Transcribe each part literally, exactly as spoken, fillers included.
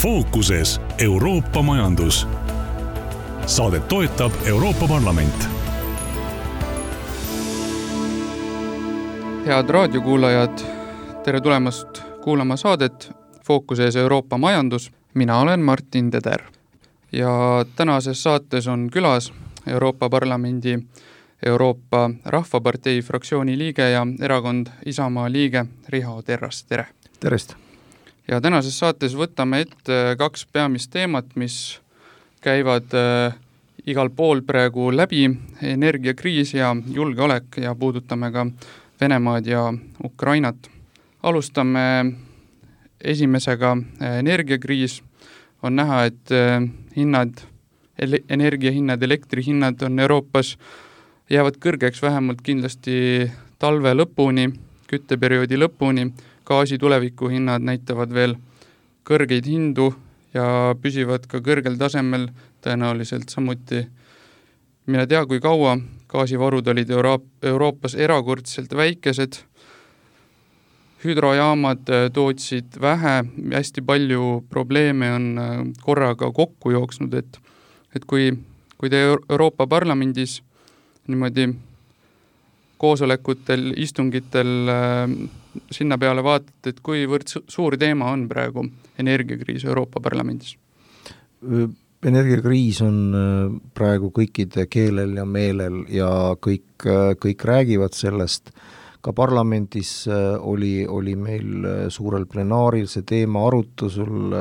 Fookuses Euroopa majandus. Saadet toetab Euroopa Parlament. Head raadiokuulajad, tere tulemast kuulama saadet Fookuses Euroopa majandus. Mina olen Martin Teder ja tänases saates on külas Euroopa Parlamendi Euroopa Rahvapartei fraktsiooni liige ja erakond Isamaa liige Riho Terras. Tere! Terest! Ja tänases saates võtame ette kaks peamist teemat, mis käivad äh, igal pool praegu läbi, energiakriis ja julgeolek, ja puudutame ka Venemaad ja Ukrainat. Alustame esimesega. Energiakriis on näha, et äh, hinnad, ele- energiahinnad, elektrihinnad on Euroopas jäävad kõrgeks vähemalt kindlasti talve lõpuni, kütteperioodi lõpuni. Gaasi tuleviku hinnad näitavad veel kõrgeid hindu ja püsivad ka kõrgel tasemel tõenäoliselt samuti. Mine tea, kui kaua. Gaasivarud olid Euro- Euroopas erakordselt väikesed. Hüdrojaamad tootsid vähe, hästi palju probleeme on korraga kokku jooksnud, et, et kui, kui te Euroopa Parlamendis niimoodi koosolekutel, istungitel sinna peale vaatate, et kuivõrd suur teema on praegu energiakriis Euroopa Parlamendis? Energiakriis on praegu kõikide keelel ja meelel ja kõik, kõik räägivad sellest. Ka parlamendis oli, oli meil suurel plenaaril see teema arutusel.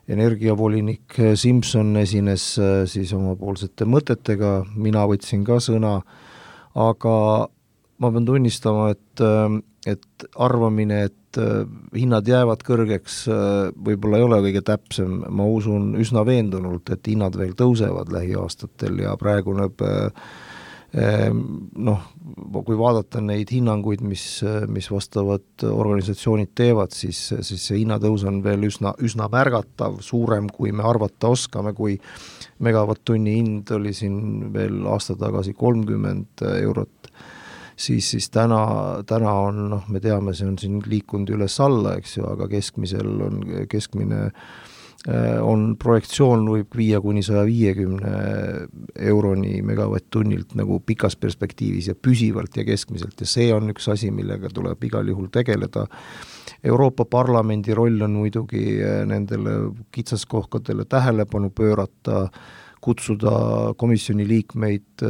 Energiavolinik Simson esines siis omapoolsete mõtetega, mina võtsin ka sõna, aga ma pean tunnistama, et, et arvamine, et hinnad jäävad kõrgeks, võib-olla ei ole kõige täpsem. Ma usun üsna veendunult, et hinnad veel tõusevad lähiaastatel ja praegu näeb, noh, kui vaadata neid hinnanguid, mis, mis vastavad organisatsioonid teevad, siis, siis see hinnatõus on veel üsna, üsna märgatav, suurem, kui me arvata oskame, kui megavatt-tunni hind oli siin veel aasta tagasi kolmkümmend eurot, siis, siis täna, täna on, noh, me teame, see on siin liikunud üles alla, eks ju, aga keskmisel on, keskmine on projektsioon võib viia kuni saja viiekümne euroni megavatt-tunnilt nagu pikas perspektiivis ja püsivalt ja keskmiselt, ja see on üks asi, millega tuleb igal juhul tegeleda. Euroopa Parlamendi roll on muidugi nendele kitsaskohkadele tähelepanu pöörata, kutsuda komisjoni liikmeid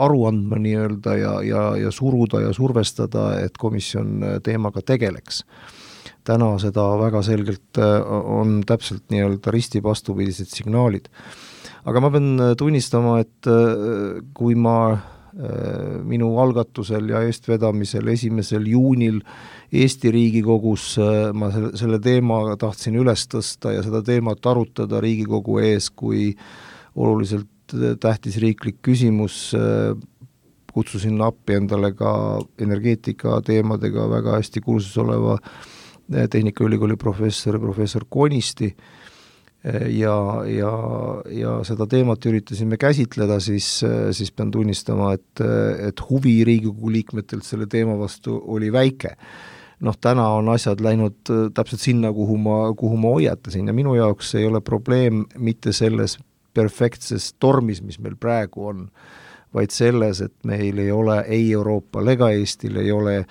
aru andma nii-öelda ja, ja, ja suruda ja survestada, et komisjon teemaga tegeleks. Täna seda väga selgelt on täpselt nii-öelda risti vastupidised signaalid. Aga ma pean tunnistama, et kui ma minu algatusel ja eestvedamisel esimesel juunil Eesti Riigikogus ma selle teema tahtsin üles tõsta ja seda teemat arutada Riigikogu ees, kui oluliselt tähtis riiklik küsimus, kutsusin appi endale ka energeetika teemadega väga hästi kursus oleva Tehnikaülikooli professor, professor Konisti ja, ja, ja seda teemat üritasime käsitleda, siis, siis pean tunnistama, et, et huvi Riigikogu liikmetelt selle teema vastu oli väike. Noh, täna on asjad läinud täpselt sinna, kuhu ma, kuhu ma hoiatasin ja minu jaoks ei ole probleem mitte selles perfektses tormis, mis meil praegu on, vaid selles, et meil ei ole ei Euroopal ega Eestil ei ole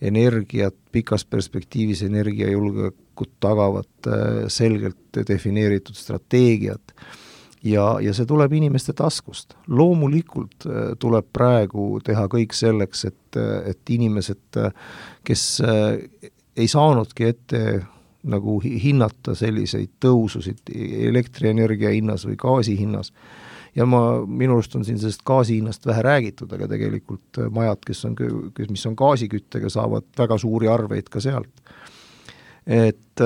energiat, pikas perspektiivis energiajulgeolekut tagavat selgelt defineeritud strateegiat ja, ja see tuleb inimeste taskust. Loomulikult tuleb praegu teha kõik selleks, et, et inimesed, kes ei saanudki ette nagu hinnata selliseid tõususid elektrienergia hinnas või gaasi hinnas, ja ma, minu arust on siin sellest gaasi hinnast vähe räägitud, aga tegelikult majad, kes on, mis on gaasiküttega, saavad väga suuri arveid ka sealt. Et,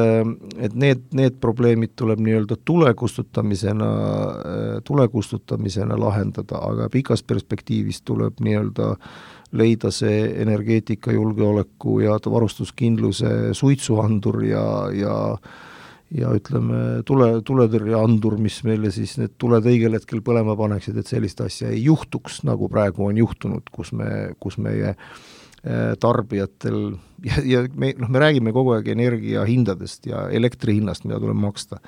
et need, need probleemid tuleb nii-öelda tulekustutamisena, tulekustutamisena lahendada, aga pikas perspektiivis tuleb nii-öelda leida see energeetikajulgeoleku ja varustuskindluse suitsuandur ja, ja ja ütleme, tule, tuletõrjeandur, mis meile siis need tuled õigel hetkel põlema paneksid, et sellist asja ei juhtuks, nagu praegu on juhtunud, kus, me, kus meie tarbijatel ja, ja me, noh, me räägime kogu aeg energia hindadest ja elektri hinnast, mida tuleb maksta.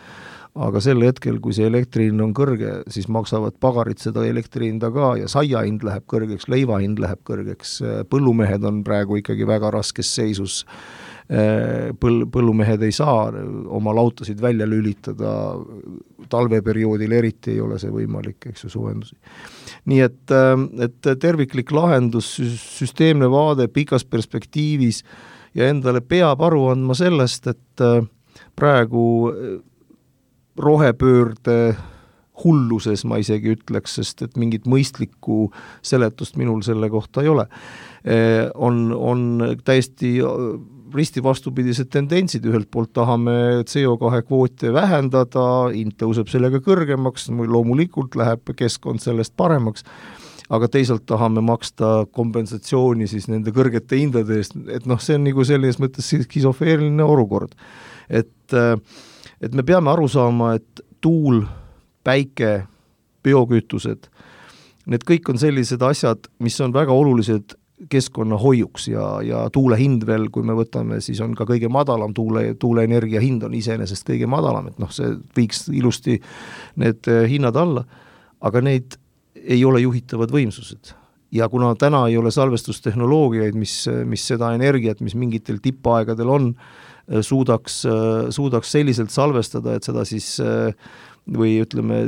Aga sel hetkel, kui see elektri hind on kõrge, siis maksavad pagarid seda elektri hinda ka ja saia hind läheb kõrgeks, leiva hind läheb kõrgeks, põllumehed on praegu ikkagi väga raskes seisus, Põl, põllumehed ei saa oma lautasid välja lülitada, talveperioodil eriti ei ole see võimalik, eks ju, suvendused. Nii et, et terviklik lahendus, süsteemne vaade pikas perspektiivis ja endale peab aru andma sellest, et praegu rohepöörde hulluses ma isegi ütleks, sest et mingit mõistlikku seletust minul selle kohta ei ole. On, on täiesti risti vastupidised tendentsid, ühelt poolt tahame C O kahe kvoote vähendada, hind tõuseb sellega kõrgemaks, loomulikult läheb keskkond sellest paremaks, aga teisalt tahame maksta kompensatsiooni siis nende kõrgete hindade eest, et noh, see on nagu selles mõttes skisofeeriline olukord. Et, et me peame aru saama, et tuul, päike, biokütused, need kõik on sellised asjad, mis on väga olulised keskkonna hoiuks ja, ja tuule hind veel, kui me võtame, siis on ka kõige madalam tuule, tuuleenergia hind on iseenesest kõige madalam, et noh, see viiks ilusti need hinnad alla, aga neid ei ole juhitavad võimsused. Ja kuna täna ei ole salvestustehnoloogiaid, mis, mis seda energiat, mis mingitel tippaegadel on, suudaks, suudaks selliselt salvestada, et seda siis või ütleme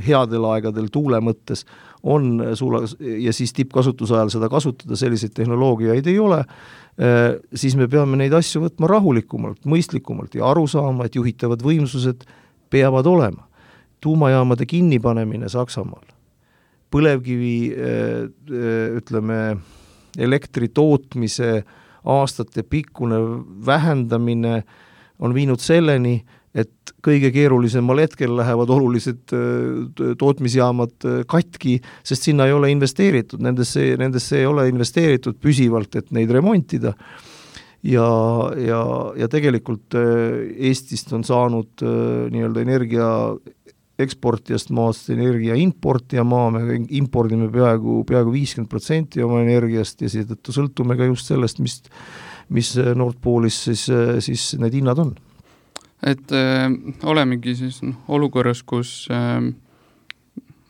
headel aegadel tuule mõttes on suula, ja siis tippkasutuse ajal seda kasutada, selliseid tehnoloogiaid ei ole, siis me peame neid asju võtma rahulikumalt, mõistlikumalt ja aru saama, et juhitavad võimsused peavad olema. Tuumajaamade kinnipanemine Saksamaal, põlevkivi ütleme elektri tootmise aastate pikkune vähendamine on viinud selleni, et kõige keerulisemal hetkel lähevad olulised tootmisjaamad katki, sest sinna ei ole investeeritud, nendesse, nendesse ei ole investeeritud püsivalt, et neid remontida. Ja, ja, ja tegelikult Eestist on saanud nii-öelda energia eksportijast maast energia importija maa, me impordime peaaegu, peaaegu viiskümmend protsenti oma energiast ja seetõttu sõltume ka just sellest, mis, mis Nordpoolis siis, siis need hinnad on. Et äh, olemegi siis no, olukorras, kus äh,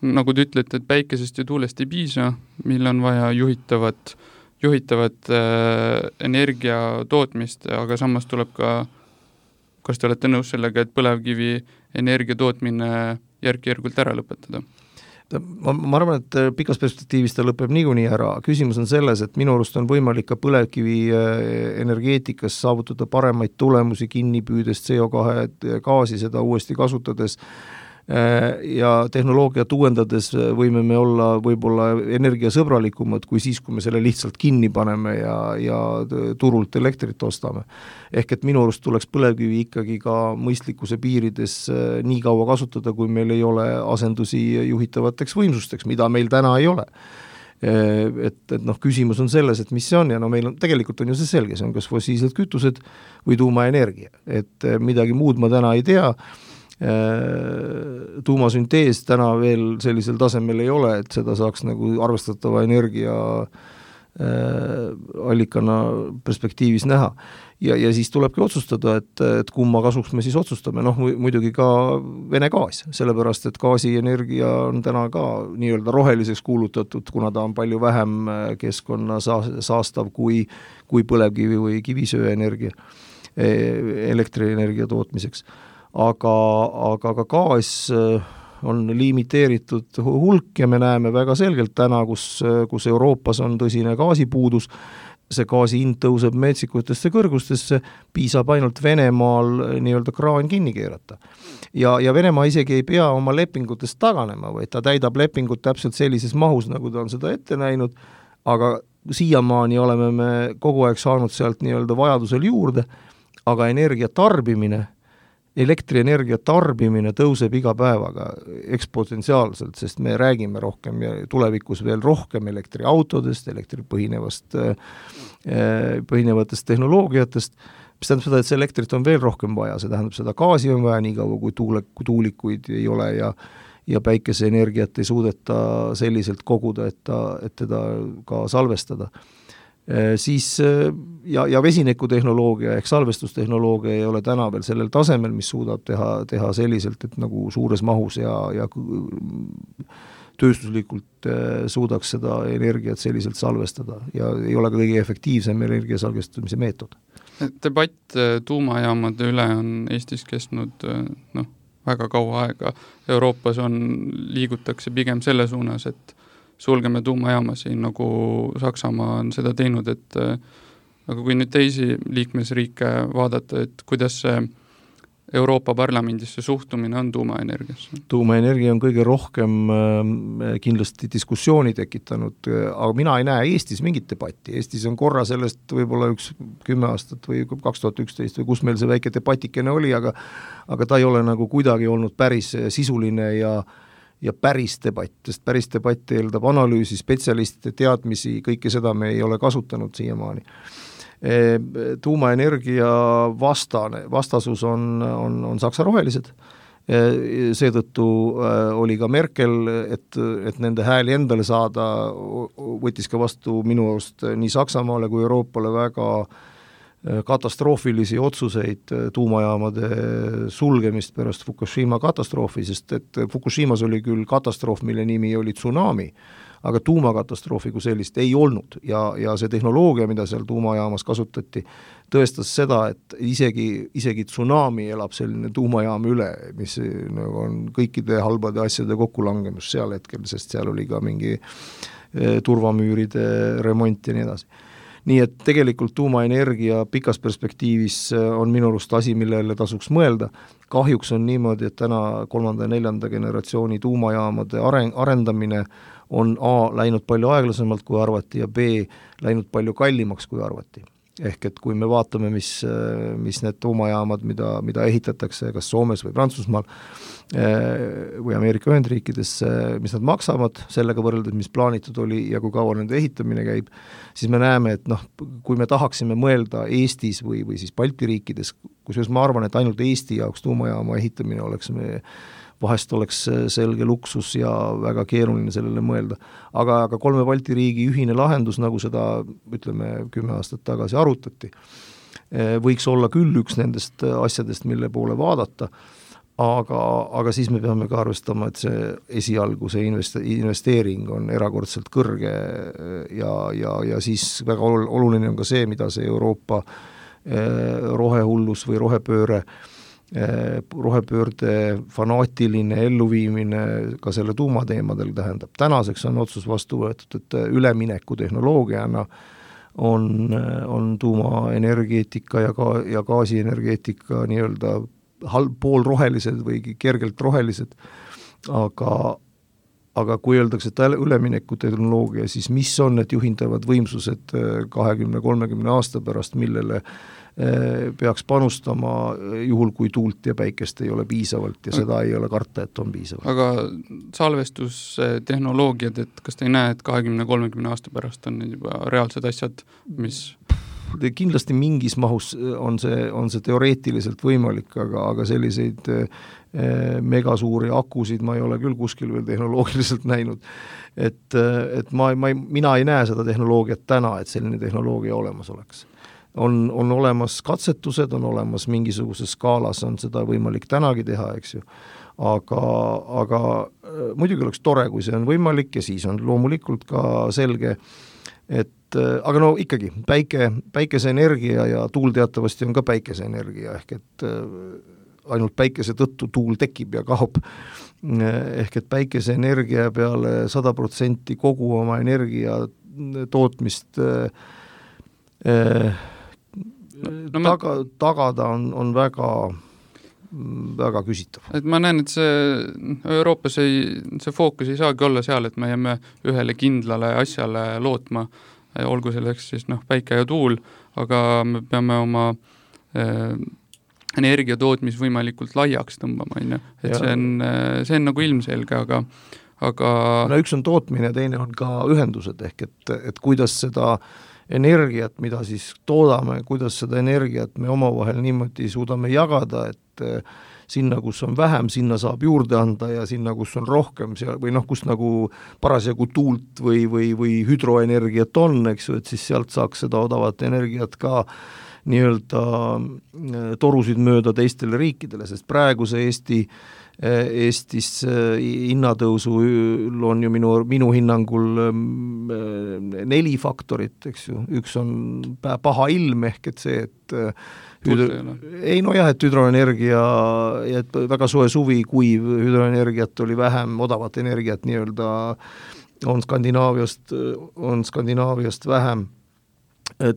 nagu te ütlete, et päikesest ja tuulest ei piisa, mil on vaja juhitavat, juhitavat äh, energia tootmist, aga samas tuleb ka, kas te olete nõus sellega, et põlevkivi energia tootmine järk-järgult ära lõpetada? Ma, ma arvan, et pikas perspektiivis ta lõpeb niikuinii ära. Küsimus on selles, et minu arust on võimalik ka põlevkivi energeetikas saavutada paremaid tulemusi kinni püüdes C O kahe gaasi seda uuesti kasutades ja tehnoloogiat uuendades võime me olla võib-olla energiasõbralikumad kui siis, kui me selle lihtsalt kinni paneme ja, ja turult elektrit ostame. Ehk et minu arust tuleks põlevkivi ikkagi ka mõistlikkuse piirides nii kaua kasutada, kui meil ei ole asendusi juhitavateks võimsusteks, mida meil täna ei ole. Et, et noh, küsimus on selles, et mis see on ja no meil on, tegelikult on ju see selge, see on kas fossiilsed kütused või tuumaenergia, et midagi muud ma täna ei tea. Tuumasüntees täna veel sellisel tasemel ei ole, et seda saaks nagu arvestatava energia allikana perspektiivis näha. Ja, ja siis tulebki otsustada, et, et kumma kasuks me siis otsustame, noh muidugi ka Vene gaas, sellepärast et gaasienergia on täna ka nii-öelda roheliseks kuulutatud, kuna ta on palju vähem keskkonna saastav kui, kui põlevkivi või kivisööenergia, elektrienergia tootmiseks. Aga, aga ka gaas on limiteeritud hulk ja me näeme väga selgelt täna, kus, kus Euroopas on tõsine gaasipuudus, see gaasi hind tõuseb metsikutesse kõrgustesse, piisab ainult Venemaal nii-öelda kraan kinni keerata. Ja, ja Venemaa isegi ei pea oma lepingutest taganema, vaid ta täidab lepingut täpselt sellises mahus, nagu ta on seda ette näinud, aga siiamaani oleme me kogu aeg saanud sealt nii-öelda vajadusel juurde, aga energia tarbimine elektrienergia tarbimine tõuseb iga päevaga ekspotentsiaalselt, sest me räägime rohkem ja tulevikus veel rohkem elektriautodest, elektripõhinevast, põhinevatest tehnoloogiatest, mis tähendab seda, et see elektrit on veel rohkem vaja, see tähendab seda gaasi on vaja nii kaua, kui, tuule, kui tuulikuid ei ole ja, ja päikeseenergiat ei suudeta selliselt koguda, et, ta, et teda ka salvestada. Siis ja, ja vesinikutehnoloogia ehk salvestustehnoloogia ei ole täna veel sellel tasemel, mis suudab teha, teha selliselt, et nagu suures mahus ja, ja tööstuslikult suudaks seda energiat selliselt salvestada ja ei ole ka kõige efektiivsem energia salvestamise meetod. Debatt tuumajaamade üle on Eestis kestnud noh, väga kaua aega. Euroopas on, liigutakse pigem selle suunas, et sulgeme tuumajaamasi, nagu Saksamaa on seda teinud, et aga kui nüüd teisi liikmesriike vaadata, et kuidas see Euroopa Parlamendis see suhtumine on tuumaenergiasse? Tuumaenergia on kõige rohkem kindlasti diskussiooni tekitanud, aga mina ei näe Eestis mingit debatti. Eestis on korra sellest võib-olla üks kümme aastat või kaks tuhat üksteist või kus meil see väike debatikene oli, aga, aga ta ei ole nagu kuidagi olnud päris sisuline ja ja päris debatt, sest päris debatt eeldab analüüsi, spetsialistide teadmisi, kõike seda me ei ole kasutanud siiamaani. Tuumaenergia vastane, vastasus on, on, on Saksa rohelised. Seetõttu oli ka Merkel, et, et nende hääli endale saada, võttis ka vastu minu arust nii Saksamaale kui Euroopale väga katastroofilisi otsuseid tuumajaamade sulgemist pärast Fukushima katastroofi, sest et Fukushimas oli küll katastroof, mille nimi oli tsunami, aga tuumakatastroofi kui sellist ei olnud ja, ja see tehnoloogia, mida seal tuumajaamas kasutati, tõestas seda, et isegi, isegi tsunami elab selline tuumajaam üle, mis nagu on kõikide halbade asjade kokkulangemus seal hetkel, sest seal oli ka mingi turvamüüride remont ja nii edasi. Nii et tegelikult tuumaenergia pikas perspektiivis on minu arust asi, millele tasuks mõelda. Kahjuks on niimoodi, et täna kolmanda ja neljanda generatsiooni tuumajaamade areng, arendamine on A läinud palju aeglasemalt kui arvati ja B läinud palju kallimaks kui arvati. Ehk et kui me vaatame, mis, mis need tuumajaamad, mida, mida ehitatakse kas Soomes või Prantsusmaal või Ameerika Ühendriikides, mis nad maksavad sellega võrreldes, mis plaanitud oli ja kui kaua nende ehitamine käib, siis me näeme, et noh, kui me tahaksime mõelda Eestis või, või siis Balti riikides, kusjuures ma arvan, et ainult Eesti jaoks tuumajaama ehitamine oleks me vahest oleks selge luksus ja väga keeruline sellele mõelda. Aga, aga kolme Balti riigi ühine lahendus, nagu seda, ütleme, kümme aastat tagasi arutati, võiks olla küll üks nendest asjadest, mille poole vaadata, aga, aga siis me peame ka arvestama, et see esialgu see investeering on erakordselt kõrge ja, ja, ja siis väga oluline on ka see, mida see Euroopa rohehullus või rohepööre rohepöörde fanaatiline elluviimine ka selle tuumateemadel tähendab. Tänaseks on otsus vastu võetud, et ülemineku tehnoloogiana on, on tuumaenergeetika ja, ka, ja gaasienergeetika nii-öelda halb, poolrohelised või kergelt rohelised, aga, aga kui öeldakse, et ülemineku tehnoloogia, siis mis on need juhindavad võimsused kahekümne kolmekümne aasta pärast, millele peaks panustama juhul, kui tuult ja päikest ei ole piisavalt ja seda ei ole karta, et on piisavalt. Aga salvestustehnoloogiad, et kas te ei näe, et kahekümne kolmekümne aasta pärast on need juba reaalsed asjad, mis... Kindlasti mingis mahus on see, on see teoreetiliselt võimalik, aga, aga selliseid megasuuri akusid ma ei ole küll kuskil veel tehnoloogiliselt näinud. Et, et ma, ma, mina ei näe seda tehnoloogiat täna, et selline tehnoloogia olemas oleks. On, on olemas katsetused, on olemas mingisuguses skaalas, on seda võimalik tänagi teha, eks ju. Aga, aga muidugi oleks tore, kui see on võimalik ja siis on loomulikult ka selge, et aga no ikkagi, päike, päikeseenergia ja tuul teatavasti on ka päikeseenergia, ehk et ainult päikese tõttu tuul tekib ja kaob. Ehk et päikeseenergia peale sada protsenti kogu oma energia tootmist eh, no, taga, tagada on, on väga, väga küsitav. Et ma näen, et see Euroopas ei, see fookus ei saagi olla seal, et me jääme ühele kindlale asjale lootma, olgu selleks siis noh, päike ja tuul, aga me peame oma äh, energiatootmis võimalikult laiaks tõmbama, on ju. Et see on, see on nagu ilmselge, aga, aga... No üks on tootmine ja teine on ka ühendused, ehk et, et kuidas seda energiat, mida siis toodame, kuidas seda energiat me omavahel niimoodi suudame jagada, et sinna, kus on vähem, sinna saab juurde anda ja sinna, kus on rohkem, seal, või noh, kus nagu parasjagu tuult või, või, või hüdroenergiat on, eks ju, et siis sealt saaks seda odavat energiat ka nii-öelda torusid mööda teistele riikidele, sest praeguse Eesti Eestis hinnatõusul on ju minu, minu hinnangul neli faktorit, eks ju, üks on paha ilm ehk et see, et hüdro... ei no jah, et hüdroenergia, et väga soe suvi, kuiv hüdroenergiat oli vähem, odavat energiat nii-öelda on Skandinaaviast, on Skandinaaviast vähem.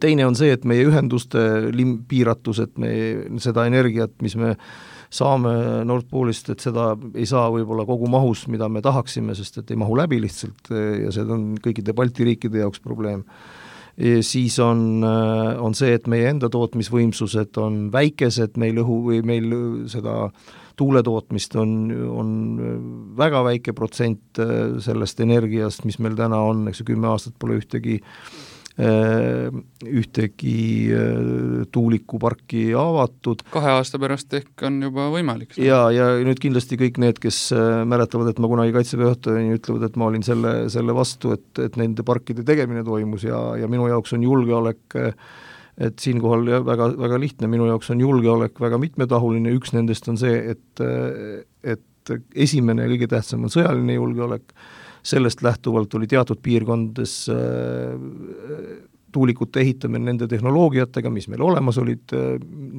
Teine on see, et meie ühenduste lim- piiratus, et me seda energiat, mis me saame Nord Poolist, et seda ei saa võib-olla kogu mahus, mida me tahaksime, sest et ei mahu läbi lihtsalt ja see on kõikide Balti riikide jaoks probleem. Ja siis on, on see, et meie enda tootmisvõimsused on väikesed, meil õhu või meil seda tuuletootmist on, on väga väike protsent sellest energiast, mis meil täna on, eks ju, kümme aastat pole ühtegi ühtegi tuulikuparki avatud. Kahe aasta pärast ehk on juba võimalik. Ja, ja nüüd kindlasti kõik need, kes mäletavad, et ma kunagi Kaitseväe juhatajana ütlevad, et ma olin selle, selle vastu, et, et nende parkide tegemine toimus ja, ja minu jaoks on julgeolek, et siinkohal väga, väga lihtne, minu jaoks on julgeolek väga mitmetahuline, üks nendest on see, et, et esimene ja kõige tähtsam on sõjaline julgeolek. Sellest lähtuvalt oli teatud piirkondades tuulikute ehitamine nende tehnoloogiatega, mis meil olemas olid,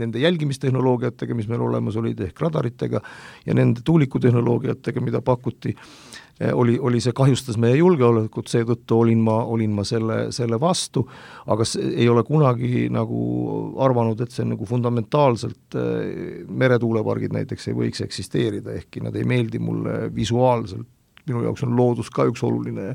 nende jälgimistehnoloogiatega, mis meil olemas olid, ehk radaritega, ja nende tuulikutehnoloogiatega, mida pakuti, oli, oli see kahjustas meie julgeolekut, seetõttu olin ma, olin ma selle, selle vastu, aga ei ole kunagi nagu arvanud, et see nagu fundamentaalselt meretuulepargid näiteks ei võiks eksisteerida, ehkki nad ei meeldi mulle visuaalselt. Minu jaoks on loodus ka üks oluline,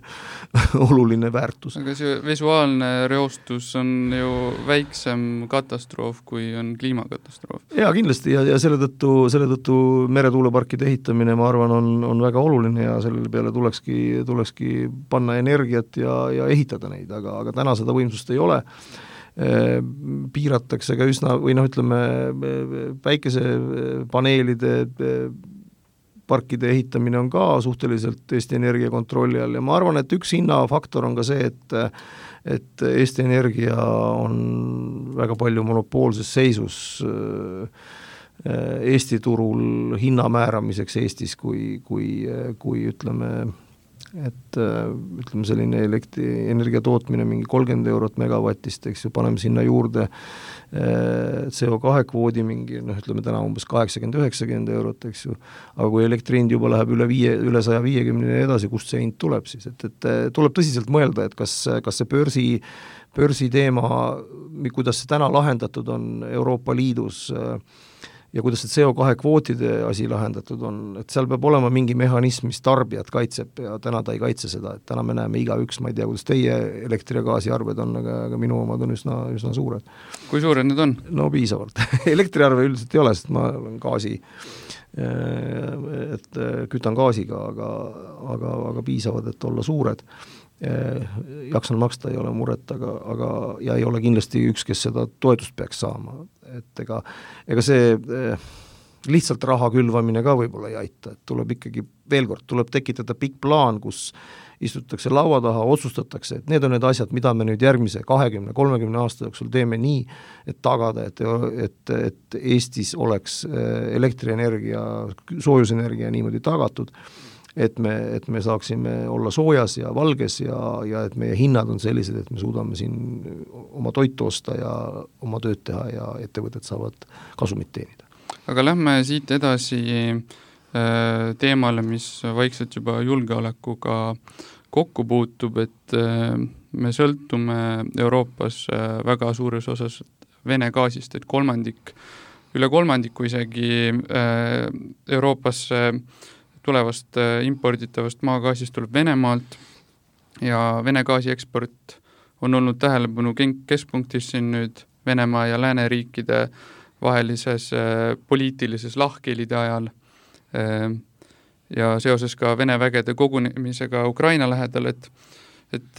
oluline väärtus. Aga see visuaalne reostus on ju väiksem katastroof, kui on kliimakatastroof. Jaa, kindlasti, ja, ja selle tõttu, selle tõttu meretuuleparkide ehitamine, ma arvan, on, on väga oluline ja selle peale tulekski, tulekski panna energiat ja, ja ehitada neid, aga, aga täna seda võimsust ei ole. Piiratakse ka üsna, või noh, ütleme, päikesepaneelide parkide ehitamine on ka suhteliselt Eesti Energia kontrolli all ja ma arvan, et üks hinnafaktor on ka see, et, et Eesti Energia on väga palju monopoolses seisus Eesti turul hinna määramiseks Eestis, kui, kui, kui ütleme, et ütleme selline elektri, energia tootmine mingi kolmkümmend eurot megavatist, eks ju, paneme sinna juurde C O kahe kvoodi mingi, noh, ütleme täna umbes kaheksakümmend üheksakümmend eurot, eks ju, aga kui elektri hind juba läheb üle viie, üle saja viiekümne edasi, kust see hind tuleb siis, et, et tuleb tõsiselt mõelda, et kas, kas see börsi, börsi teema, kuidas see täna lahendatud on Euroopa Liidus ja kuidas see C O kahe kvootide asi lahendatud on, et seal peab olema mingi mehhanism, mis tarbijat kaitseb ja täna ta ei kaitse seda, et täna me näeme igaüks, ma ei tea, kuidas teie elektri- ja gaasiarved on, aga, aga minu omad on üsna, üsna suured. Kui suured need on? No piisavalt. Elektriarve üldiselt ei ole, sest ma olen gaasi, et kütan gaasiga, aga, aga, aga piisavad, et olla suured. Jaksan maksta, ei ole muret, aga, aga ja ei ole kindlasti üks, kes seda toetust peaks saama. Et ega, ega see lihtsalt raha külvamine ka võib-olla ei aita, et tuleb ikkagi, veel kord, tuleb tekitada pikk plaan, kus istutakse laua taha, otsustatakse, et need on need asjad, mida me nüüd järgmise kahekümne kolmekümne aasta jooksul teeme nii, et tagada, et, et, et Eestis oleks elektrienergia, soojusenergia niimoodi tagatud, et me, et me saaksime olla soojas ja valges ja, ja et meie hinnad on sellised, et me suudame siin oma toitu osta ja oma tööd teha ja ettevõtted saavad kasumit teenida. Aga lähme siit edasi teemale, mis vaikselt juba julgeolekuga kokku puutub, et me sõltume Euroopas väga suures osas Vene gaasist, et kolmandik, üle kolmandiku isegi Euroopasse tulevast imporditavast maagaasist tuleb Venemaalt ja Vene gaasi eksport on olnud tähelepanu keskpunktis siin nüüd Venemaa ja lääneriikide vahelises poliitilises lahkhelide ajal ja seoses ka Vene vägede kogunemisega Ukraina lähedal, et, et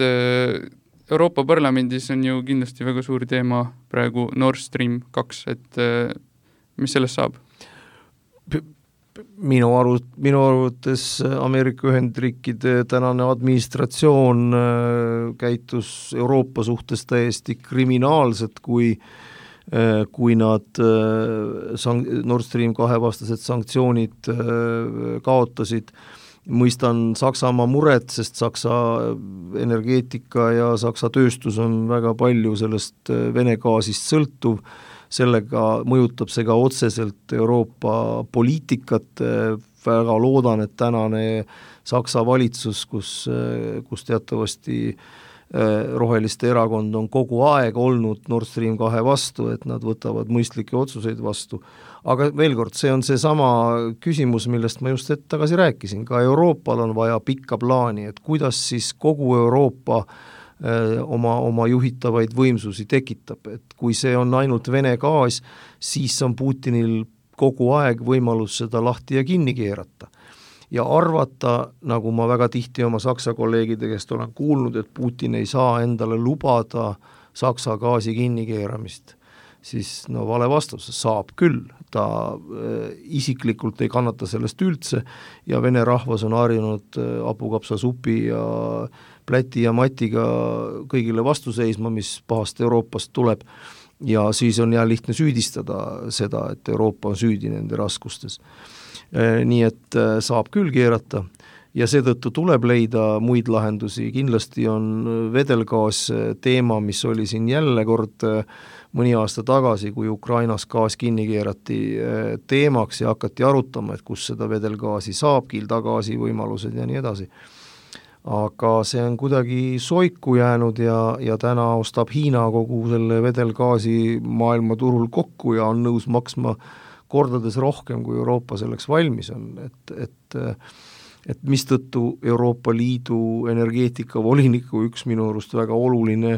Euroopa Parlamendis on ju kindlasti väga suur teema praegu Nord Stream kaks, et mis sellest saab? Minu aru, minu arvates Ameerika Ühendriikide tänane administratsioon käitus Euroopa suhtes täiesti kriminaalselt, kui kui nad Nord Stream kahe vastased sanktsioonid kaotasid. Mõistan Saksamaa muret, sest Saksa energeetika ja Saksa tööstus on väga palju sellest Vene gaasist sõltuv, sellega mõjutab see ka otseselt Euroopa poliitikat, väga loodan, et tänane Saksa valitsus, kus, kus teatavasti roheliste erakond on kogu aeg olnud Nord Stream kahe vastu, et nad võtavad mõistlikke otsuseid vastu. Aga veel kord, see on see sama küsimus, millest ma just hetk tagasi rääkisin, ka Euroopal on vaja pikka plaani, et kuidas siis kogu Euroopa öö, oma, oma juhitavaid võimsusi tekitab, et kui see on ainult Vene gaas, siis on Putinil kogu aeg võimalus seda lahti ja kinni keerata. Ja arvata, nagu ma väga tihti oma Saksa kolleegide käest olen kuulnud, et Putin ei saa endale lubada Saksa gaasi kinnikeeramist, siis no vale vastus, saab küll. Ta äh, isiklikult ei kannata sellest üldse ja Vene rahvas on harjunud äh, hapukapsasupi ja pläti ja matiga kõigile vastu seisma, mis pahast Euroopast tuleb. Ja siis on jah lihtne süüdistada seda, et Euroopa on süüdi nende raskustes. Nii et saab küll keerata ja seetõttu tuleb leida muid lahendusi. Kindlasti on vedelgaas teema, mis oli siin jälle kord mõni aasta tagasi, kui Ukrainas gaas kinni keerati teemaks ja hakati arutama, et kus seda vedelgaasi saab, kildagaasi võimalused ja nii edasi. Aga see on kuidagi soiku jäänud ja, ja täna ostab Hiina kogu selle vedelgaasi maailmaturul kokku ja on nõus maksma kordades rohkem, kui Euroopa selleks valmis on, et, et, et mistõttu Euroopa Liidu energeetikavoliniku üks minu arust väga oluline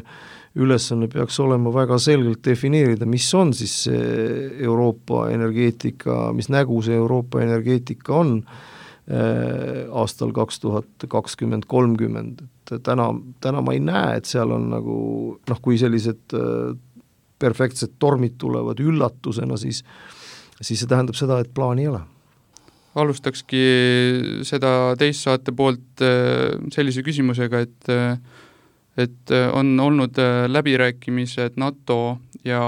ülesanne peaks olema väga selgelt defineerida, mis on siis see Euroopa energeetika, mis nägu see Euroopa energeetika on äh, aastal kaks tuhat kakskümmend kolmkümmend. Et täna, täna ma ei näe, et seal on nagu, noh, kui sellised äh, perfektsed tormid tulevad üllatusena, siis siis see tähendab seda, et plaani ei ole. Alustakski seda teist saate poolt sellise küsimusega, et, et on olnud läbirääkimised NATO ja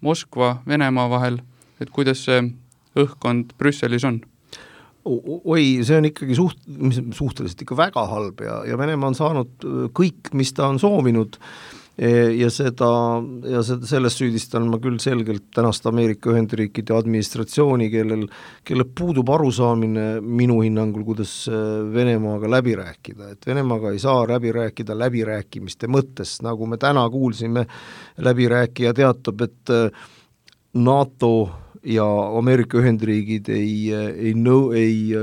Moskva, Venemaa vahel, et kuidas see õhkkond Brüsselis on? Oi, see on ikkagi suht, suhteliselt ikka väga halb ja, ja Venemaa on saanud kõik, mis ta on soovinud ja seda, ja seda, sellest süüdistan ma küll selgelt tänast Ameerika Ühendriikide administratsiooni, kellel, kellel puudub arusaamine minu hinnangul, kuidas Venemaaga läbi rääkida, et Venemaaga ei saa läbi rääkida läbirääkimiste mõttes, nagu me täna kuulsime, läbirääkija teatab, et NATO ja Ameerika Ühendriigid ei, ei, nõu, ei,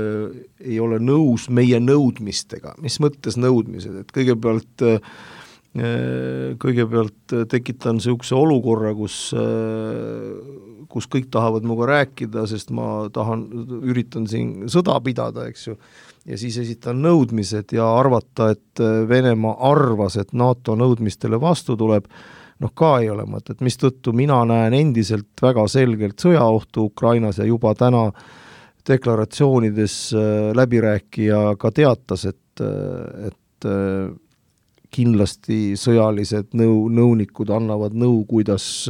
ei ole nõus meie nõudmistega, mis mõttes nõudmised, et kõigepealt kõigepealt tekitan niisuguse olukorra, kus, kus kõik tahavad minuga rääkida, sest ma tahan, üritan siin sõda pidada, eks ju, ja siis esitan nõudmised ja arvata, et Venemaa arvas, et NATO nõudmistele vastu tuleb, noh ka ei ole mõtet, mistõttu mina näen endiselt väga selgelt sõjaohtu Ukrainas ja juba täna deklaratsioonides läbirääkija ka teatas, et, et kindlasti sõjalised nõu, nõunikud annavad nõu, kuidas,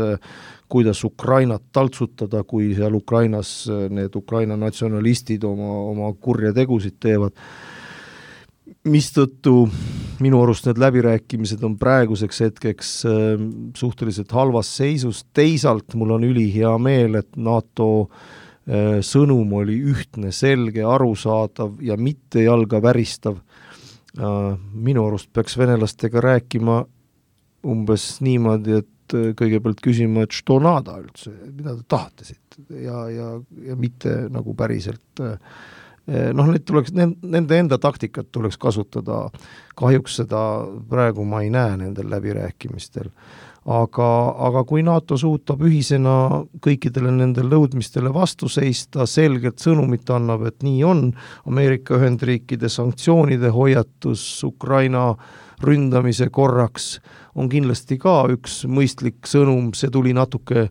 kuidas Ukrainat taltsutada, kui seal Ukrainas need Ukraina natsionalistid oma, oma kurja tegusid teevad. Mistõttu minu arust need läbirääkimised on praeguseks hetkeks suhteliselt halvas seisus. Teisalt mul on ülihea meel, et NATO sõnum oli ühtne, selge, arusaadav ja mitte jalga väristav. Minu arust peaks venelastega rääkima umbes niimoodi, et kõigepealt küsima, et što nada üldse, mida te tahate siit ja, ja, ja mitte nagu päriselt noh, need tuleks, nende enda taktikat tuleks kasutada, kahjuks seda praegu ma ei näe nendel läbirääkimistel, aga, aga kui NATO suutab ühisena kõikidele nendele nõudmistele vastu seista, selgelt sõnumit annab, et nii on, Ameerika Ühendriikide sanktsioonide hoiatus Ukraina ründamise korraks on kindlasti ka üks mõistlik sõnum, see tuli natuke,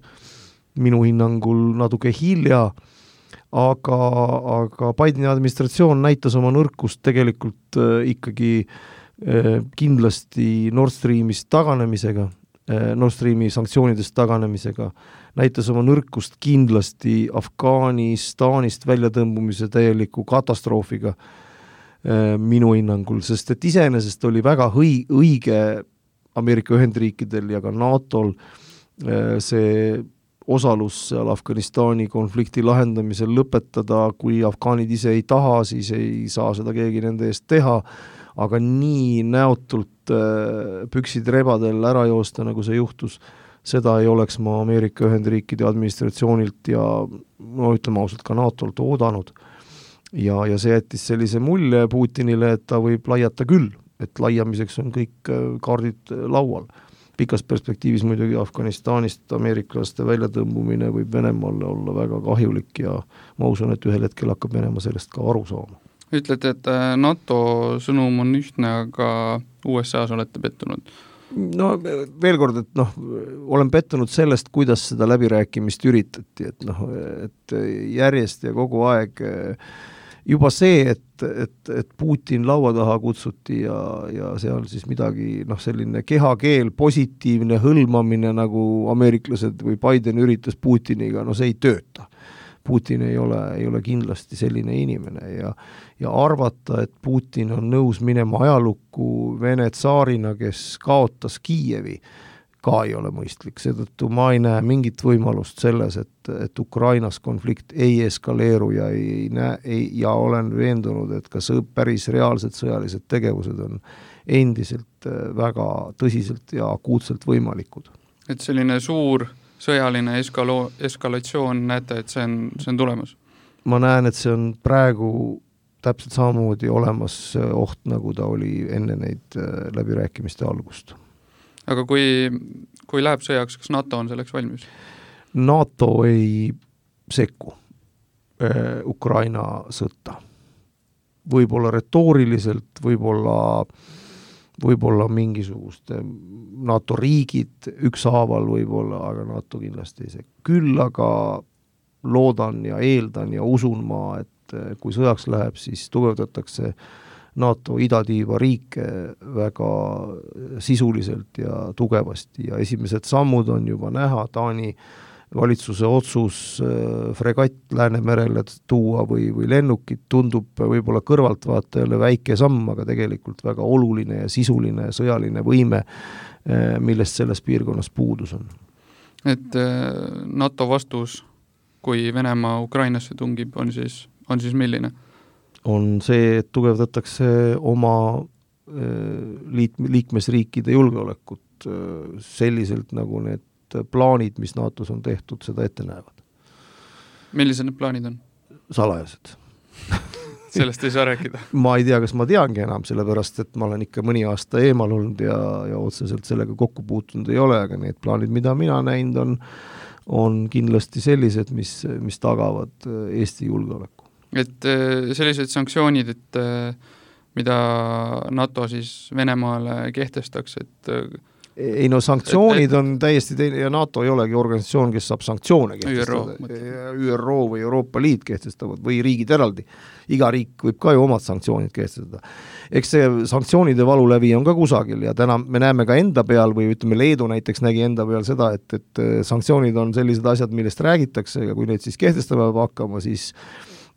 minu hinnangul natuke hilja, aga, aga Bideni administratsioon näitas oma nõrkust tegelikult äh, ikkagi äh, kindlasti Nord Streamist taganemisega, Nord Streami sanktsioonidest taganemisega, näitas oma nõrkust kindlasti Afganistanist väljatõmbumise täieliku katastroofiga minu hinnangul, sest et iseenesest oli väga hõi, õige Ameerika Ühendriikidel ja ka NATOl see osalus seal Afganistani konflikti lahendamisel lõpetada, kui afgaanid ise ei taha, siis ei saa seda keegi nende eest teha, aga nii näotult püksid rebadel ära joosta, nagu see juhtus, seda ei oleks ma Ameerika Ühendriikide administratsioonilt ja no ütleme ausalt ka NATOlt oodanud. Ja, ja see jättis sellise mulje Putinile, et ta võib laiata küll, et laiamiseks on kõik kaardid laual. Pikas perspektiivis muidugi Afganistanist ameeriklaste väljatõmbumine võib Venemaale olla väga kahjulik ja ma usun, et ühel hetkel hakkab Venemaa sellest ka aru saama. Ütlete, et NATO sõnum on ühtne, aga U S A-s olete pettunud? No veel kord, et noh, olen pettunud sellest, kuidas seda läbirääkimist üritati, et noh, et järjest ja kogu aeg juba see, et, et, et Putin laua taha kutsuti ja, ja seal siis midagi, noh, selline kehakeel, positiivne hõlmamine, nagu ameeriklased või Biden üritas Putiniga, no see ei tööta. Putin ei ole, ei ole kindlasti selline inimene ja, ja arvata, et Putin on nõus minema ajalukku Vene tsaarina, kes kaotas Kiievi, ka ei ole mõistlik. Seetõttu ma ei näe mingit võimalust selles, et, et Ukrainas konflikt ei eskaleeru ja, ei näe, ei, ja olen veendunud, et ka sõb, päris reaalsed sõjalised tegevused on endiselt väga tõsiselt ja akuutselt võimalikud. Et selline suur sõjaline eskalo- eskalatsioon, näete, et see on, see on tulemas? Ma näen, et see on praegu täpselt samamoodi olemas oht, nagu ta oli enne neid läbirääkimiste algust. Aga kui, kui läheb sõjaks, kas NATO on selleks valmis? NATO ei sekku Ukraina sõtta. Võib-olla retooriliselt, võib-olla võib-olla mingisugust NATO riigid ükshaaval võib-olla, aga NATO kindlasti ei see. Küll aga loodan ja eeldan ja usun ma, et kui sõjaks läheb, siis tugevdatakse NATO idatiiva riike väga sisuliselt ja tugevasti ja esimesed sammud on juba näha, Taani valitsuse otsus fregatt Läänemerele tuua või, või lennukit tundub võib-olla kõrvaltvaatajale väike samm, aga tegelikult väga oluline ja sisuline sõjaline võime, millest selles piirkonnas puudus on. Et NATO vastus, kui Venemaa Ukrainasse tungib, on siis, on siis milline? On see, et tugevdatakse oma liit, liikmesriikide julgeolekut selliselt, nagu need plaanid, mis NATOs on tehtud, seda ette näevad. Millised need plaanid on? Salajased. Sellest ei saa rääkida. Ma ei tea, kas ma teangi enam, sellepärast, et ma olen ikka mõni aasta eemal olnud ja, ja otseselt sellega kokku puutunud ei ole, aga need plaanid, mida mina näinud on, on kindlasti sellised, mis, mis tagavad Eesti julgeoleku. Et sellised sanktsioonid, et mida NATO siis Venemaale kehtestaks, et ei no sanktsioonid on täiesti teine ja NATO ei olegi organisatsioon, kes saab sanktsioone kehtestada. Ü R O või Euroopa Liit kehtestavad või riigid eraldi. Iga riik võib ka ju omad sanktsioonid kehtestada. Eks see sanktsioonide valulävi on ka kusagil ja täna me näeme ka enda peal või ütleme Leedu näiteks nägi enda peal seda, et, et sanktsioonid on sellised asjad, millest räägitakse ja kui neid siis kehtestama peab hakkama, siis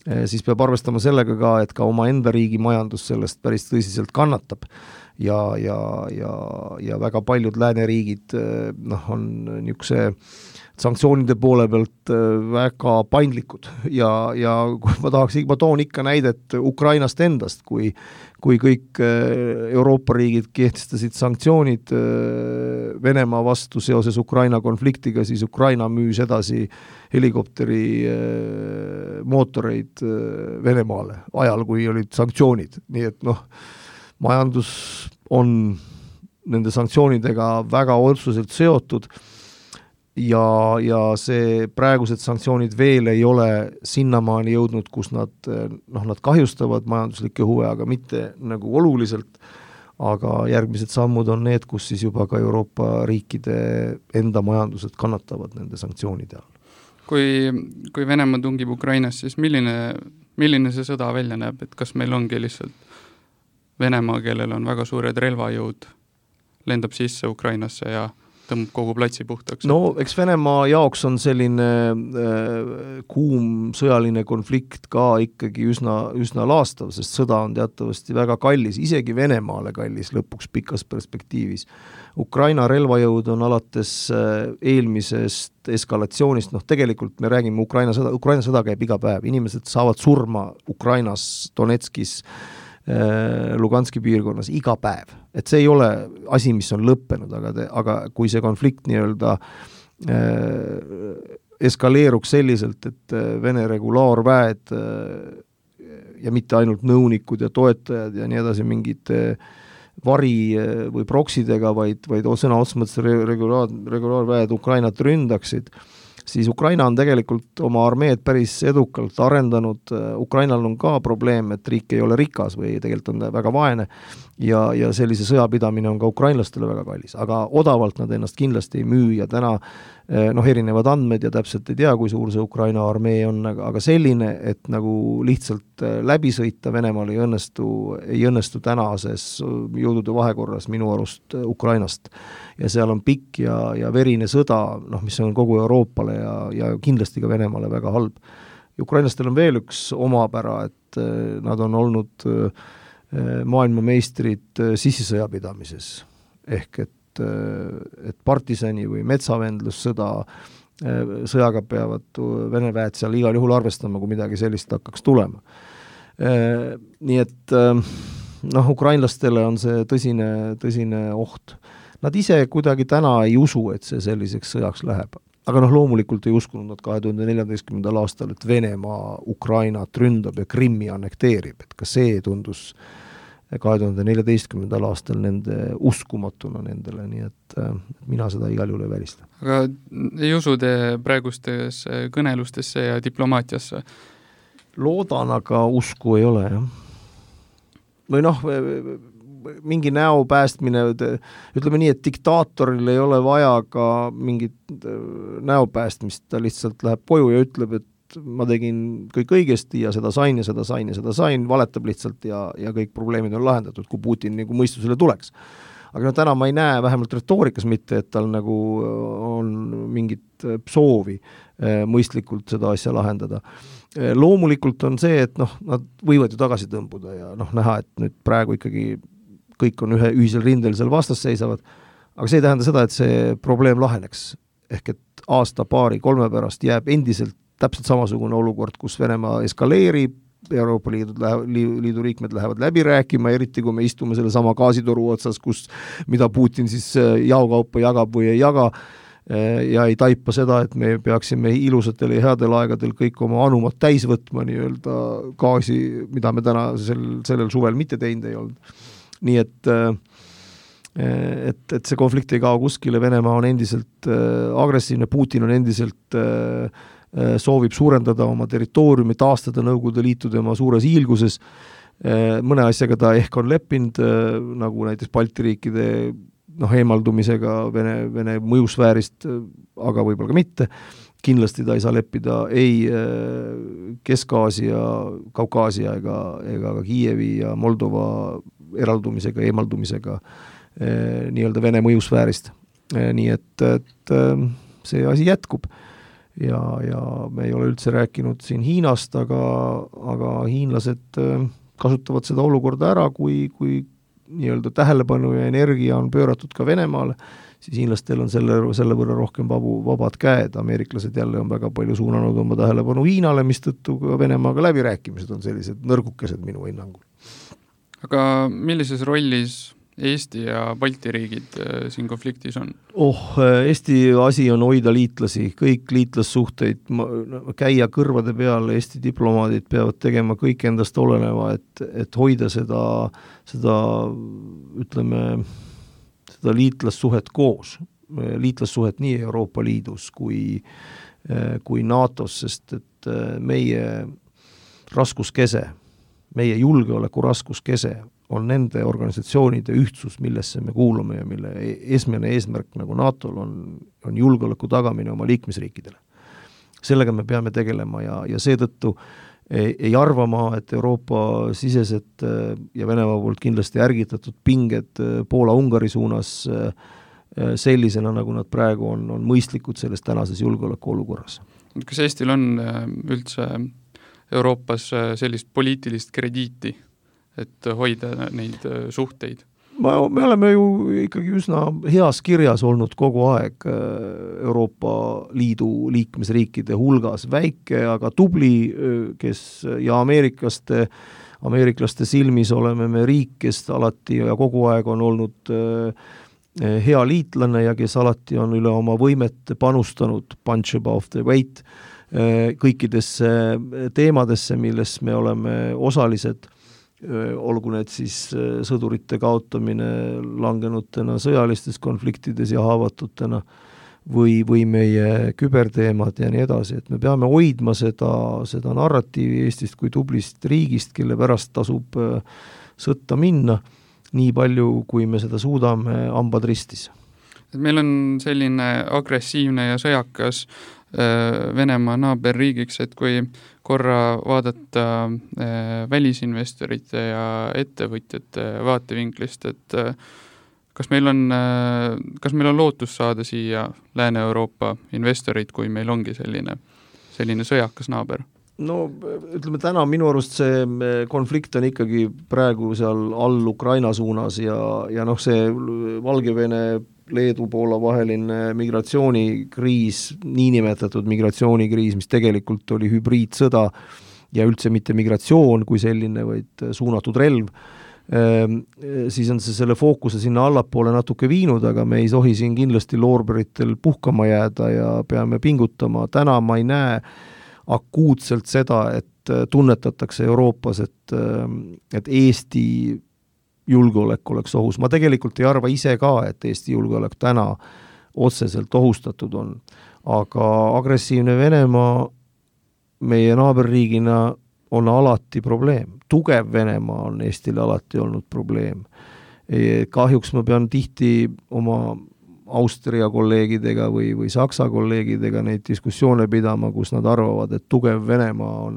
siis peab arvestama sellega ka, et ka oma enda riigi majandus sellest päris tõsiselt kannatab. Ja, ja, ja, ja väga paljud lääneriigid noh, on niisuguse sanktsioonide poole pealt väga paindlikud ja, ja ma tahaks, ma toon ikka näidet Ukrainast endast, kui, kui kõik Euroopa riigid kehtestasid sanktsioonid Venemaa vastu seoses Ukraina konfliktiga, siis Ukraina müüs edasi helikopteri mootoreid Venemaale ajal, kui olid sanktsioonid, nii et noh, majandus on nende sanktsioonidega väga otseselt seotud ja, ja see praegused sanktsioonid veel ei ole sinnamaani jõudnud, kus nad, noh, nad kahjustavad majanduslikke huve, aga mitte nagu oluliselt, aga järgmised sammud on need, kus siis juba ka Euroopa riikide enda majandused kannatavad nende sanktsioonide all. Kui, kui Venemaa tungib Ukrainas, siis milline, milline see sõda välja näeb, et kas meil ongi lihtsalt Venemaa, kellel on väga suured relvajõud, lendab sisse Ukrainasse ja tõmbab kogu platsi puhtaks? No eks Venemaa jaoks on selline äh, kuum sõjaline konflikt ka ikkagi üsna, üsna laastav, sest sõda on teatavasti väga kallis, isegi Venemaale kallis lõpuks pikas perspektiivis. Ukraina relvajõud on alates äh, eelmisest eskalatsioonist, noh tegelikult me räägime Ukraina sõda, Ukraina sõda käib iga päev, inimesed saavad surma Ukrainas, Donetskis, Luganski piirkonnas iga päev. Et see ei ole asi, mis on lõppenud, aga, te, aga kui see konflikt nii-öelda äh, eskaleeruks selliselt, et Vene regulaarväed äh, ja mitte ainult nõunikud ja toetajad ja nii edasi mingid äh, vari äh, või proksidega, vaid, vaid sõna otsemõttes regulaar, regulaarväed Ukrainat ründaksid, siis Ukraina on tegelikult oma armeed päris edukalt arendanud, Ukrainal on ka probleem, et riik ei ole rikas või tegelikult on väga vaene ja, ja sellise sõjapidamine on ka ukrainlastele väga kallis, aga odavalt nad ennast kindlasti ei müü ja täna noh, erinevad andmed ja täpselt ei tea, kui suur see Ukraina armee on, aga selline, et nagu lihtsalt läbi sõita Venemaal ei õnnestu, ei õnnestu tänases jõudude vahekorras minu arust Ukrainast. Ja seal on pikk ja, ja verine sõda, noh, mis on kogu Euroopale ja, ja kindlasti ka Venemaale väga halb. Ukrainlastel on veel üks omapära, et nad on olnud maailmameistrid sissisõjapidamises. Ehk et et partisani või metsavendlussõda sõjaga peavad Vene väed seal igal juhul arvestama, kui midagi sellist hakkaks tulema. Nii et noh, ukrainlastele on see tõsine, tõsine oht. Nad ise kuidagi täna ei usu, et see selliseks sõjaks läheb. Aga noh, loomulikult ei uskunud nad kahe tuhande neljateistkümnendal aastal, et Venemaa Ukrainat ründab ja Krimmi annekteerib. Et ka see tundus kahe tuhande neljateistkümnendal aastal nende uskumatuna nendele, nii et mina seda igal juhul ei välista. Aga ei usu te praegustes kõnelustesse ja diplomaatiasse? Loodan, aga usku ei ole, jah. Või noh, mingi näo päästmine, ütleme nii, et diktaatoril ei ole vaja ka mingit näo päästmist, ta lihtsalt läheb koju ja ütleb, et ma tegin kõik õigesti ja seda sain ja seda sain ja seda sain, valetab lihtsalt ja, ja kõik probleemid on lahendatud, kui Putin nagu mõistusele tuleks. Aga no täna ma ei näe vähemalt retoorikas mitte, et tal nagu on mingit soovi mõistlikult seda asja lahendada. Loomulikult on see, et noh, nad võivad ju tagasi tõmbuda ja noh, näha, et nüüd praegu ikkagi kõik on ühe ühisel rindel seal vastas seisavad, aga see ei tähenda seda, et see probleem laheneks. Ehk et aasta, paari, kolme pärast jääb endiselt täpselt samasugune olukord, kus Venemaa eskaleerib, Euroopa Liidu, liidu liikmed lähevad läbi rääkima, eriti kui me istume selle sama gaasitoru otsas, kus, mida Putin siis jaokaupa jagab või ei jaga ja ei taipa seda, et me peaksime ilusatel ja headel aegadel kõik oma anumad täis võtma nii-öelda gaasi, mida me täna sel, sellel suvel mitte teinud ei olnud. Nii et et, et see konflikt ei kao kuskile, Venemaa on endiselt agressiivne, Putin on endiselt soovib suurendada oma territooriumi, taastada Nõukogude Liitu tema suures hiilguses. Mõne asjaga ta ehk on leppinud, nagu näiteks Balti riikide noh, eemaldumisega Vene, Vene mõjusfäärist, aga võib-olla ka mitte. Kindlasti ta ei saa leppida ei Kesk-Aasia, Kaukaasia ega, ega ka Kiievi ja Moldova eraldumisega, eemaldumisega nii-öelda Vene mõjusfäärist. Nii et, et see asi jätkub. Ja, ja me ei ole üldse rääkinud siin Hiinast, aga, aga hiinlased kasutavad seda olukorda ära, kui, kui nii-öelda tähelepanu ja energia on pööratud ka Venemaale, siis hiinlastel on selle, selle võrra rohkem vabu, vabad käed. Ameeriklased jälle on väga palju suunanud oma tähelepanu Hiinale, mis tõttu ka Venemaaga läbirääkimised on sellised nõrgukesed minu hinnangul. Aga millises rollis Eesti ja Balti riigid siin konfliktis on? Oh, Eesti asi on hoida liitlasi, kõik liitlassuhteid, käia kõrvade peal, Eesti diplomaadid peavad tegema kõik endast oleneva, et, et hoida seda, seda, ütleme, arendada liitlassuhet koos, liitlassuhet nii Euroopa Liidus kui, kui NATOs, sest et meie raskuskese, meie julgeoleku raskuskese on nende organisatsioonide ühtsus, millesse me kuulume ja mille esmene eesmärk nagu NATOl on, on julgeoleku tagamine oma liikmesriikidele. Sellega me peame tegelema ja, ja seetõttu ei, ei arva ma, et Euroopa sisesed ja Venemaa poolt kindlasti ärgitatud pinged Poola-Ungari suunas sellisena, nagu nad praegu on, on mõistlikud selles tänases julgeoleku olukorras. Kas Eestil on üldse Euroopas sellist poliitilist krediiti, et hoida neid suhteid? Ma, me oleme ju ikkagi üsna heas kirjas olnud kogu aeg Euroopa Liidu liikmesriikide hulgas. Väike, aga tubli, kes ja ameeriklaste, ameeriklaste silmis oleme me riik, kes alati ja kogu aeg on olnud hea liitlane ja kes alati on üle oma võimet panustanud punch above the weight kõikidesse teemadesse, milles me oleme osalised, olgu need siis sõdurite kaotamine langenutena sõjalistes konfliktides ja haavatutena või, või meie küberteemad ja nii edasi, et me peame hoidma seda, seda narratiivi Eestist kui tublist riigist, kelle pärast tasub sõtta minna, nii palju, kui me seda suudame hambad ristis. Meil on selline agressiivne ja sõjakas Venemaa naaberriigiks, et kui korra vaadata välisinvestorite ja ettevõtjate vaatevinklist, et kas meil on, kas meil on lootus saada siia Lääne-Euroopa investorid, kui meil ongi selline, selline sõjakas naaber? No ütleme täna minu arust see konflikt on ikkagi praegu seal all Ukraina suunas ja, ja noh, see Valgevene Leedu Poola vaheline migratsioonikriis, niinimetatud migratsioonikriis, mis tegelikult oli hübriidsõda ja üldse mitte migratsioon kui selline, vaid suunatud relv, siis on see selle fookuse sinna allapoole natuke viinud, aga me ei tohi siin kindlasti loorberitel puhkama jääda ja peame pingutama. Täna ma ei näe akuutselt seda, et tunnetatakse Euroopas, et, et Eesti julgeolek oleks ohus. Ma tegelikult ei arva ise ka, et Eesti julgeolek täna otseselt ohustatud on. Aga agressiivne Venemaa meie naaberriigina on alati probleem. Tugev Venemaa on Eestile alati olnud probleem. Kahjuks ma pean tihti oma Austria kolleegidega või, või Saksa kolleegidega neid diskussioone pidama, kus nad arvavad, et tugev Venemaa on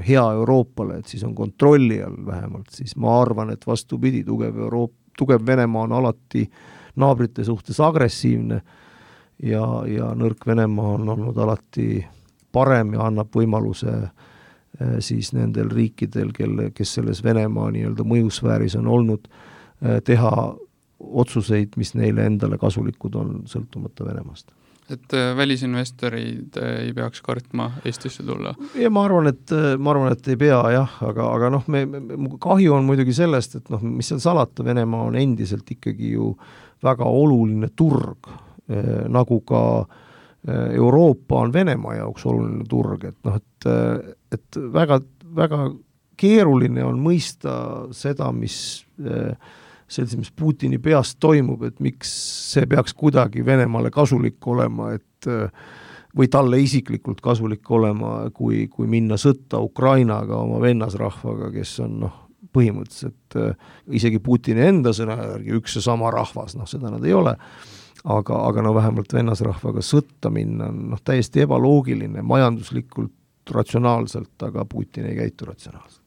hea Euroopale, et siis on kontrolli all vähemalt, siis ma arvan, et vastupidi, tugev, Euroop, tugev Venemaa on alati naabrite suhtes agressiivne ja, ja nõrk Venemaa on olnud alati parem ja annab võimaluse siis nendel riikidel, kelle, kes selles Venemaa nii-öelda mõjusfääris on olnud, teha otsuseid, mis neile endale kasulikud on sõltumata Venemaast. Et välisinvestorid ei peaks kartma Eestisse tulla? Ja ma arvan, et, ma arvan, et ei pea jah, aga, aga noh, me, me, kahju on muidugi sellest, et noh, mis seal salata, Venemaa on endiselt ikkagi ju väga oluline turg, eh, nagu ka Euroopa on Venemaa jaoks oluline turg, et noh, et, et väga, väga keeruline on mõista seda, mis eh, selline, mis Putini peast toimub, et miks see peaks kuidagi Venemaale kasulik olema, et või talle isiklikult kasulik olema, kui, kui minna sõtta Ukrainaga, oma vennasrahvaga, kes on noh, põhimõtteliselt isegi Putini enda sõna järgi üks ja sama rahvas, noh seda nad ei ole, aga, aga no vähemalt vennasrahvaga sõtta minna on noh, täiesti ebaloogiline, majanduslikult, ratsionaalselt, aga Putin ei käitu ratsionaalselt.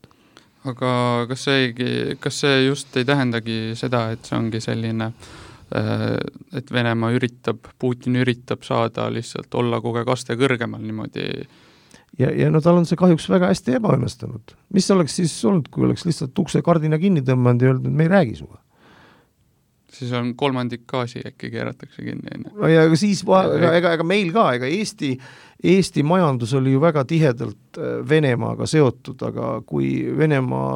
Aga kas see, kas see just ei tähendagi seda, et see ongi selline, et Venemaa üritab, Putin üritab saada lihtsalt olla kogu aeg aste kõrgemal niimoodi? Ja, ja no tal on see kahjuks väga hästi ebaõnnestunud. Mis oleks siis olnud, kui oleks lihtsalt ukse kardina kinni tõmmanud ja öelnud, et me ei räägi suga? Siis on kolmandik gaasi äkki keeratakse kinni. No ja siis, ega, ega, ega meil ka, ega Eesti, Eesti majandus oli ju väga tihedalt Venemaaga seotud, aga kui Venemaa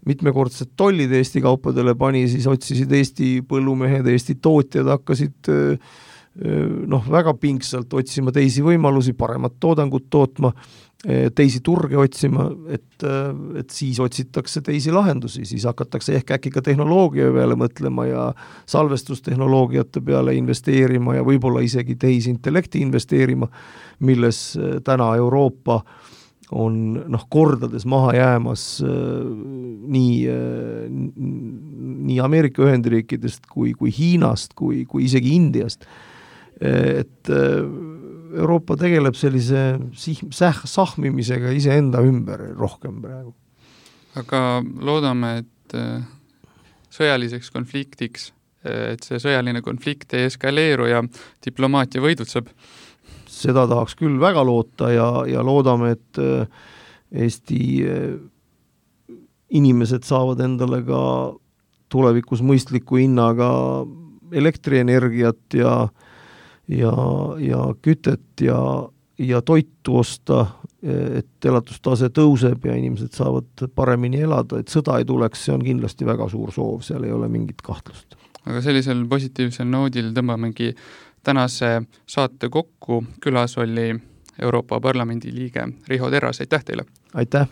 mitmekordset tollid Eesti kaupadele pani, siis otsisid Eesti põllumehed, Eesti tootjad hakkasid noh, väga pingsalt otsima teisi võimalusi, paremat toodangut tootma teisi turge otsima, et, et siis otsitakse teisi lahendusi, siis hakatakse ehk äkki ka tehnoloogia peale mõtlema ja salvestustehnoloogiate peale investeerima ja võib-olla isegi tehisintellekti investeerima, milles täna Euroopa on noh, kordades maha jäämas nii, nii Ameerika Ühendriikidest kui, kui Hiinast, kui, kui isegi Indiast. Et Euroopa tegeleb sellise säh, sahmimisega iseenda ümber rohkem praegu. Aga loodame, et sõjaliseks konfliktiks, et see sõjaline konflikt ei eskaleeru ja diplomaatia võidutseb. Seda tahaks küll väga loota ja, ja loodame, et Eesti inimesed saavad endale ka tulevikus mõistliku hinnaga elektrienergiat ja ja, ja kütet ja, ja toitu osta, et elatustase tõuseb ja inimesed saavad paremini elada, et sõda ei tuleks, see on kindlasti väga suur soov, seal ei ole mingit kahtlust. Aga sellisel positiivsel noodil tõmbamegi tänase saate kokku. Külas oli Euroopa Parlamendi liige Riho Terras, aitäh teile! Aitäh!